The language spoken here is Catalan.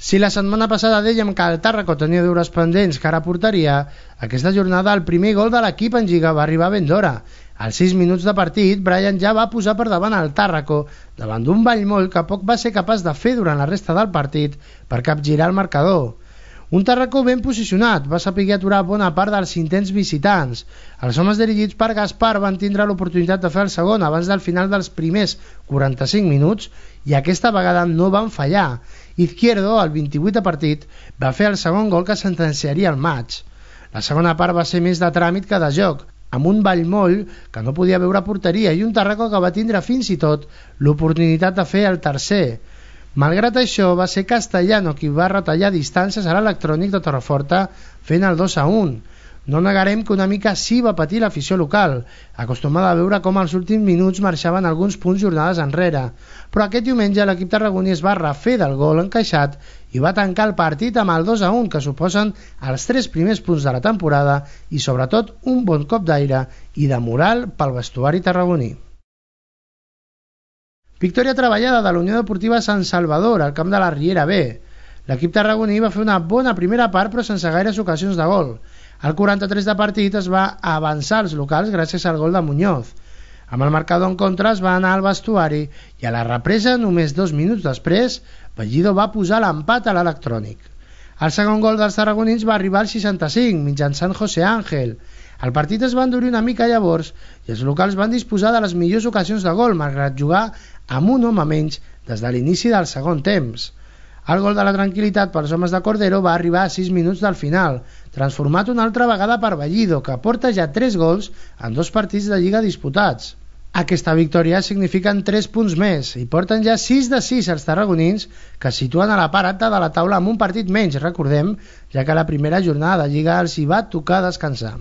Si la setmana passada dèiem que el Tàrraco tenia deures pendents cara a porteria, aquesta jornada el primer gol de l'equip en Lliga va arribar ben d'hora. Als 6 minuts de partit, Brian ja va posar per davant el Tàrraco, davant d'un Vallmoll que poc va ser capaç de fer durant la resta del partit per capgirar el marcador. Un Tàrraco ben posicionat, va saber aturar bona part dels intents visitants. Els homes dirigits per Gaspar van tindre l'oportunitat de fer el segon abans del final dels primers 45 minuts i aquesta vegada no van fallar. Izquierdo, al 28 de partit, va fer el segon gol que sentenciaria el maig. La segona part va ser més de tràmit que de joc, amb un Vallmoll que no podia veure porteria i un Tàrraco que va tindre fins i tot l'oportunitat de fer el tercer. Malgrat això, va ser Castellano qui va retallar distàncies a l'Electrònic de Torreforta fent el 2-1. No negarem que una mica sí va patir l'afició local, acostumada a veure com als últims minuts marxaven alguns punts jornades enrere, però aquest diumenge l'equip tarragoní es va refer del gol encaixat i va tancar el partit amb el 2-1 que suposen els 3 primers punts de la temporada i sobretot un bon cop d'aire i de moral pel vestuari tarragoní. Victòria treballada de la Unió Deportiva Sant Salvador al camp de la Riera B. L'equip tarragoní va fer una bona primera part però sense gaires ocasions de gol. Al 43 de partit es va avançar als locals gràcies al gol de Muñoz. Amb el marcador en contra es va anar al vestuari i a la represa, només 2 minuts després, Bellido va posar l'empat a l'Electrònic. El segon gol dels tarragonins va arribar al 65 mitjançant José Ángel. El partit es va endurir una mica llavors i els locals van disposar de les millors ocasions de gol malgrat jugar amb un home menys des de l'inici del segon temps. El gol de la tranquil·litat pels homes de Cordero va arribar a 6 minuts del final, transformat una altra vegada per Bellido, que porta ja 3 gols en 2 partits de Lliga disputats. Aquesta victòria signifiquen 3 punts més i porten ja 6 de 6 els tarragonins, que es situen a la part alta de la taula amb un partit menys, recordem, ja que la primera jornada de Lliga els hi va tocar descansar.